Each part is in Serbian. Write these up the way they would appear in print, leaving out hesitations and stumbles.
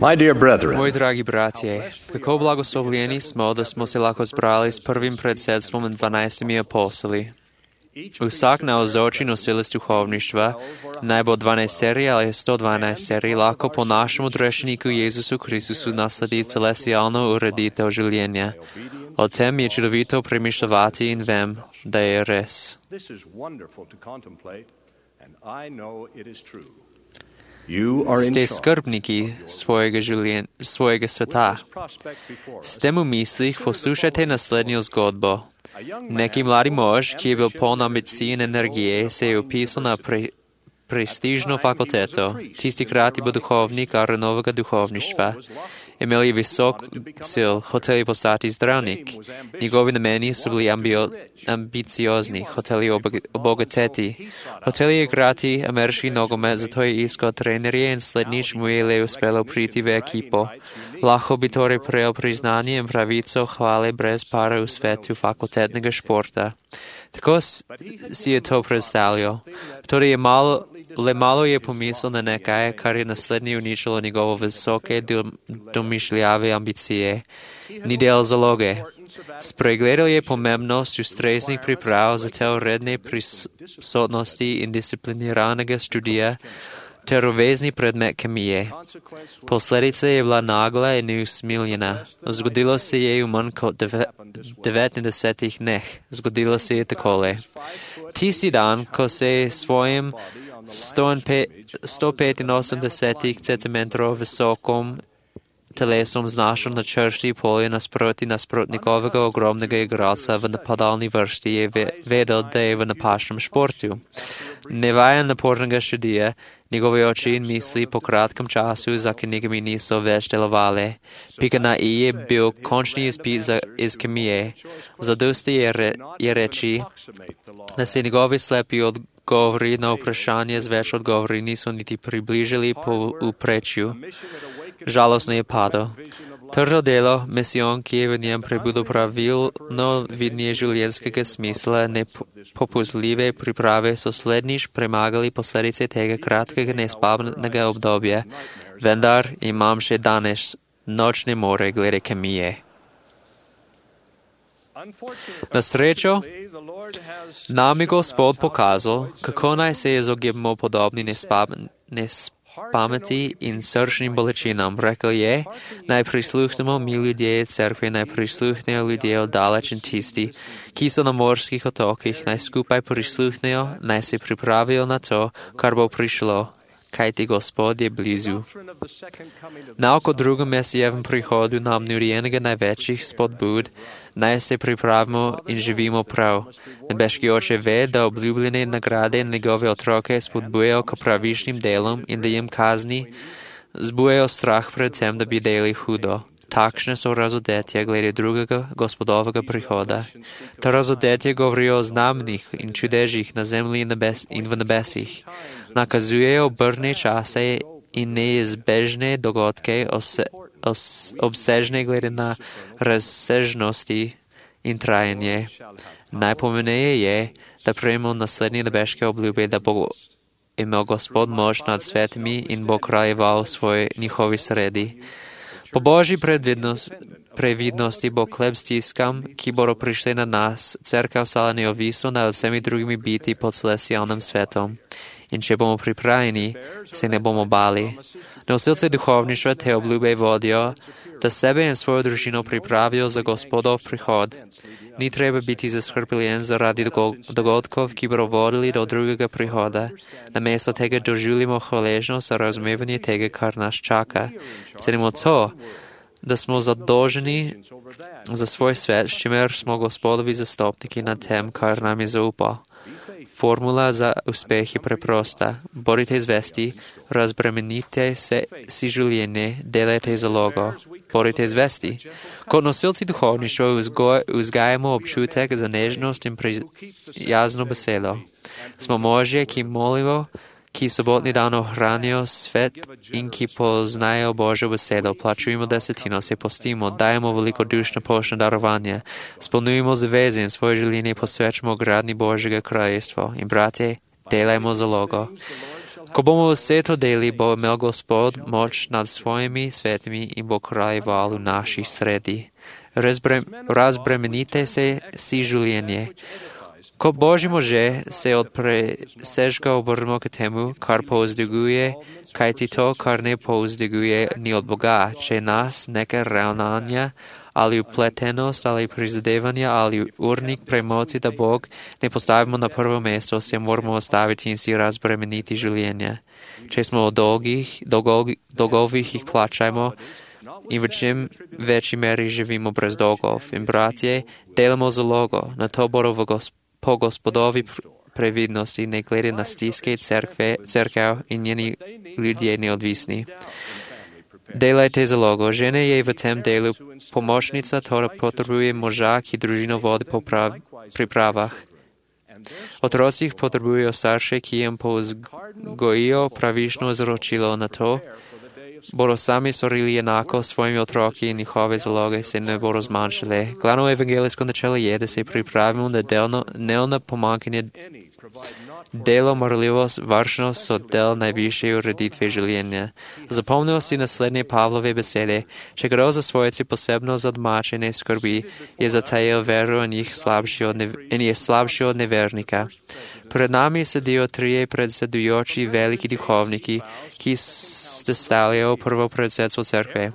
My dear brethren, Moji dragi bratje, kako blagoslovljeni smo da smo se lako zbrali s prvim predsedstvom 12 apostoli. Vsak navzoči nosilec duhovništva, naj bo 12 serij ali 112 serij, lahko po našemu odrešeniku Jezusu Kristusu nasledi celestialno ureditev življenja. O tem je čudovito premišljati in vem, da je res. Ste skrbniki svojega sveta. S tem v mislih poslušajte naslednjo zgodbo. Neki mladi mož, ki je bil poln ambicij in energije, se je upisal na prestižno fakulteto. Tistikrat je bil duhovnik Aaronovega duhovništva. Imel je visok cilj, hotel je postati zdravnik. Njegovi nameni so bili ambiciozni, hotel je obogateti. Hotel je igrati ameriški nogomet, zato je iskal trenerje in slednjič mu je le uspelo priti v ekipo. Lahko bi torej prejel priznanje in pravico hvale brez para v svetu fakultetnega športa. Tako si je to predstavljal. Torej le malo je pomislil na nekaj, kar je naslednje uničilo njegovo visoke domišljave ambicije. Ni del zaloge. Spregledal je pomembnost ustreznih priprav za te redne prisotnosti in discipliniranega študija ter uvezni predmet kemije. Posledica je bila nagla in neusmiljena. Zgodilo se je v manj kot 90 dneh. Zgodilo se je takole. Tisti dan, ko se je svojim 185 cm visokom telesom znašel na črti polje nasprotnikovega ogromnega igralca v napadalni vrsti, je vedel, da je v napačnem športu. Nevajen napornega študija, njegove oči in misli po kratkem času za knjigami niso več delovale. Pika na i je bil končni izpit iz kemije. Zadosti je reči, da se njegovi slepi odgovori na vprašanje z več odgovori niso niti približili po uprečju. Žalostno je padel. Trdo delo, misijon, ki je v njem prebudil pravilno vidnje življenjskega smisla, nepopustljive priprave so slednjič premagali posledice tega kratkega nespavnega obdobja, vendar imam še danes nočne more glede kemije. Na srečo nam je Gospod pokazal, kako naj se izogibamo podobni pameti in srčnim bolečinam. Rekel je, naj prisluhnemo mi ljudje cerkve, naj prisluhnejo ljudje oddaleč in tisti, ki so na morskih otokih, naj skupaj prisluhnejo, naj se pripravijo na to, kar bo prišlo, kajti Gospod je blizu. Nauk o drugem mesijevem prihodu nam nudi enega največjih spodbud, naj se pripravimo in živimo prav. Nebeški oče ve, da obljubljene nagrade in njegove otroke spodbujajo k pravičnim delom in da jim kazni zbujajo strah pred tem, da bi delali hudo. Takšne so razodetja glede drugega Gospodovega prihoda. Ta razodetja govorijo o znamenjih in čudežih na zemlji in v nebesih. Nakazujejo obrne čase in neizbežne dogodke, obsežne glede na razsežnosti in trajanje. Najpomeneje je, da prejmemo naslednje nebeške obljube, da bo imel Gospod moč nad svetimi in bo kraljeval v svoji njihovi sredi. Po Božji previdnosti bo kleb stiskam, ki bodo prišli na nas, cerkev stala neovisno nad vsemi drugimi biti pod celestialnim svetom. In če bomo pripravljeni, se ne bomo bali. Nosilci duhovništva te obljube vodijo, da sebe in svojo družino pripravijo za Gospodov prihod. Ni treba biti zaskrbljen zaradi dogodkov, ki bodo vodili do drugega prihoda. Namesto tega doživljamo hvaležnost za razumevanje tega, kar nas čaka. Cenimo to, da smo zadolženi za svoj svet, s čimer smo Gospodovi zastopniki na tem, kar nam je zaupal. Formula za uspeh je preprosta. Bodite zvesti, razbremenite si življenje, delajte zalogo. Bodite zvesti. Kot nosilci duhovništva vzgajamo občutek za nežnost in prijazno besedo. Smo možje, ki molimo, ki sobotni dan ohranijo svet in ki poznajo Božjo besedo. Plačujemo desetino, se postimo, dajemo velikodušno poštno darovanje, spolnjujemo zaveze in svoje življenje posvečamo gradnji Božjega kraljestva. In brate, delajmo zalogo. Ko bomo vse to deli, bo imel Gospod moč nad svojimi svetimi in bo kraljeval v naši sredi. Razbremenite se si življenje. Kot Božji može se od presežka obrnemo k temu, kar povzdiguje, kajti to, kar ne povzdiguje, ni od Boga. Če nas neka ravnanja ali upletenost ali prizadevanja ali urnik premoci, da Bog ne postavimo na prvo mesto, se moramo ostaviti in si razbremeniti življenje. Če smo v dolgovih jih plačajmo in v čem večji meri živimo brez dolgov. In bratje, delamo zalogo, na to bodo po Gospodovi previdnosti, ne glede na stiske cerkev in njeni ljudje neodvisni. Delajte zalogo. Žene je v tem delu pomočnica, torej potrebuje moža, ki družino vodi po pripravah. Otroci potrebujejo starše, ki jim povzgojijo pravično izročilo na to, bodo sami storili enako svojimi otroki in njihove zaloge se ne bodo zmanjšale. Glavno evangelijsko načelo je, da se pripravimo na dnevno pomankanje. Delo, marljivost, varčnost so del najvišje ureditve življenja. Zapomnimo si naslednje Pavlove besede. Če kdo za svojci posebno za domačine skrbi, je zatajil veru in je slabši od nevernika. Pred nami sedijo trije predsedujoči veliki duhovniki, ki sestavljajo prvo predsedstvo cerkve.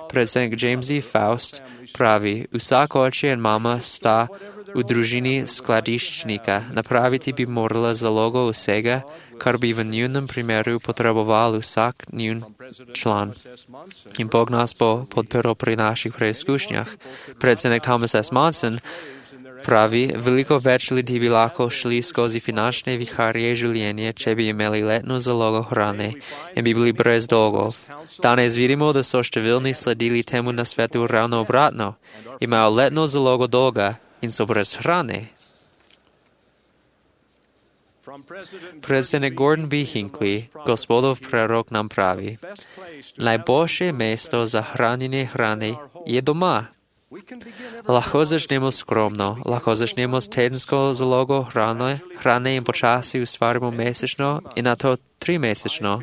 Predsednik James E. Faust pravi, vsak oče in mama sta v družini skladiščnika. Napraviti bi morala zalogo vsega, kar bi v njunem primeru potreboval vsak njun član. In Bog nas bo podpiral pri naših preizkušnjah. Predsednik Thomas S. Monson pravi, veliko več ljudi bi lahko šli skozi finančne viharje življenje, če bi imeli letno zalogo hrane in bi bili brez dolgov. Danes vidimo, da so številni sledili temu na svetu ravno obratno. Imajo letno zalogo dolga in so brez hrane. Predsednik Gordon B. Hinckley, Gospodov prorok, nam pravi, najboljše mesto za hranjenje hrane je doma. Lahko začnemo skromno, lahko začnemo s tedensko zalogo hrane in počasi ustvarimo mesečno in na to 3-mesečno.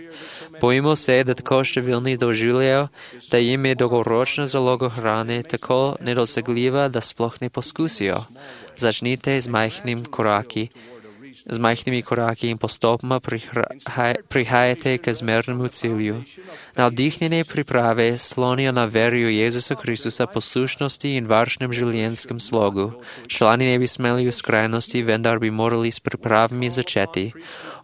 Bojimo se, da tako številni doživljajo, da jim je dolgoročna zaloga hrane tako nedosegljiva, da sploh ne poskusijo. Začnite z majhnimi koraki in postopoma prihajate k zmernemu cilju. Navdihnjene priprave slonijo na verju Jezusa Kristusa, poslušnosti in varčnem življenjskem slogu. Člani ne bi smeli v skrajnosti, vendar bi morali s pripravami začeti.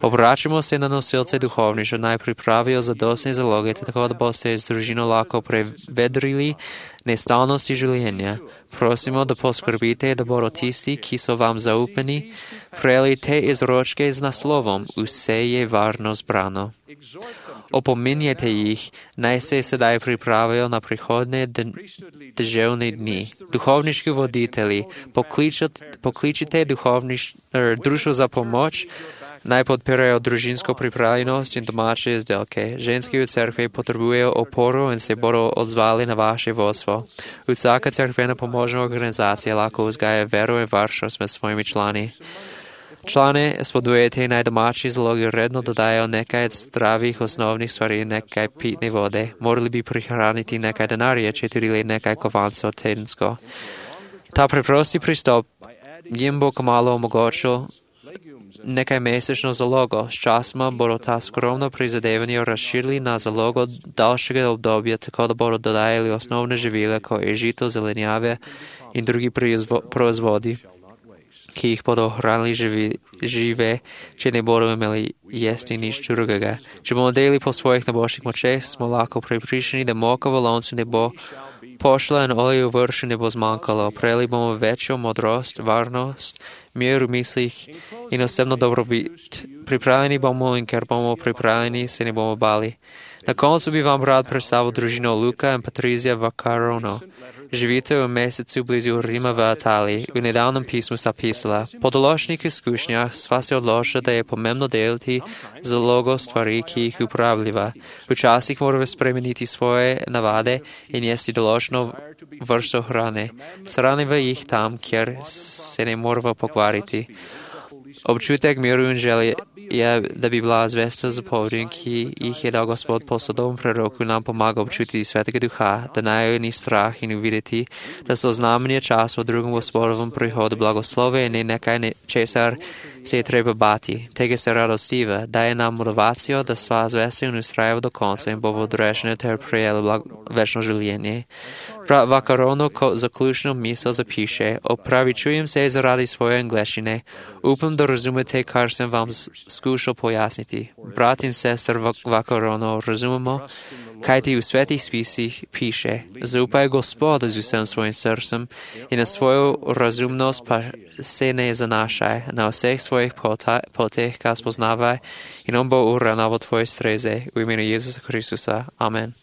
Obračamo se na nosilce duhovništva, naj pripravijo zadostne zaloge, tako da boste z družino lahko prevedrili nestalnosti življenja. Prosimo, da poskrbite, da bodo tisti, ki so vam zaupani, prejeli te izročke z naslovom Vse je varno zbrano. Opominjajte jih, naj se sedaj pripravijo na prihodne deževne dni. Duhovniški voditelji, pokličite društvo za pomoč, naj podpirajo družinsko pripravljenost in domače izdelke. Ženske v cerkvi potrebujejo oporo in se bodo odzvali na vaše vodstvo. Vsaka cerkvena pomožna organizacija lahko vzgaja vero in varčnost med svojimi člani. Člane spodbujete naj domači zalogi redno dodajo nekaj zdravih osnovnih stvari, nekaj pitne vode. Morali bi prihraniti nekaj denarja, če tudi le nekaj kovancov tedensko. Ta preprosti pristop jim bo kmalo omogočil nekaj mesečno zalogo. S časoma bodo ta skromno prizadevanje razširili na zalogo daljšega obdobja, tako da bodo dodajali osnovne živile, kot je žito, zelenjave in drugi proizvodi, ki jih bodo hranili žive, če ne bodo imeli jesti nič drugega. Če bomo delili po svojih najboljših močeh, smo lahko prepričani, da moka v loncu ne bo pošla in olje v vršu ne bo zmanjkalo. Prejeli bomo večjo modrost, varnost, mir v mislih in osebno dobrobit. Pripravljeni bomo in ker bomo pripravljeni, se ne bomo bali. Na koncu bi vam rad predstavil družino Luka in Patrizija Vaccarono. Živite v mesecu blizu Rima v Italiji. V nedavnem pismu sta pisala, po določenih izkušnjah sva se odločila, da je pomembno deliti zalogo stvari, ki jih uporabljiva. Včasih moramo spremeniti svoje navade in jesti določeno vrsto hrane. Shranimo jih tam, kjer se ne moramo pokvariti. Обчутек миру Евангелия да би была звеста за поведінки, їх дав Господь посадовому пророку, нам помага обчути Святого Духа, да наю ні страх і не увидіти, да со знамення часу другому Господовому приходу благословений, нехай не чесар се треба бати. Теге се радостива, дає нам мотивацію, да сва звести не устраїв до конца, бо водречне тер приєли вечно жилєння. Брат Вакарону заключну місо запише, оправічуєм се заради своєї англійщини, упам да розуміти, кар съм вам скушал пояснити. Брат і сестер Вакарону розумімо, кай ти у святих списах пише, заупай Господа з усім своїм серцем і на свою розумність се не занашай, на всіх своїх потих спознавай, і нам бо уранало твої стрезе, у імені Ісуса Хриstusa. Amen.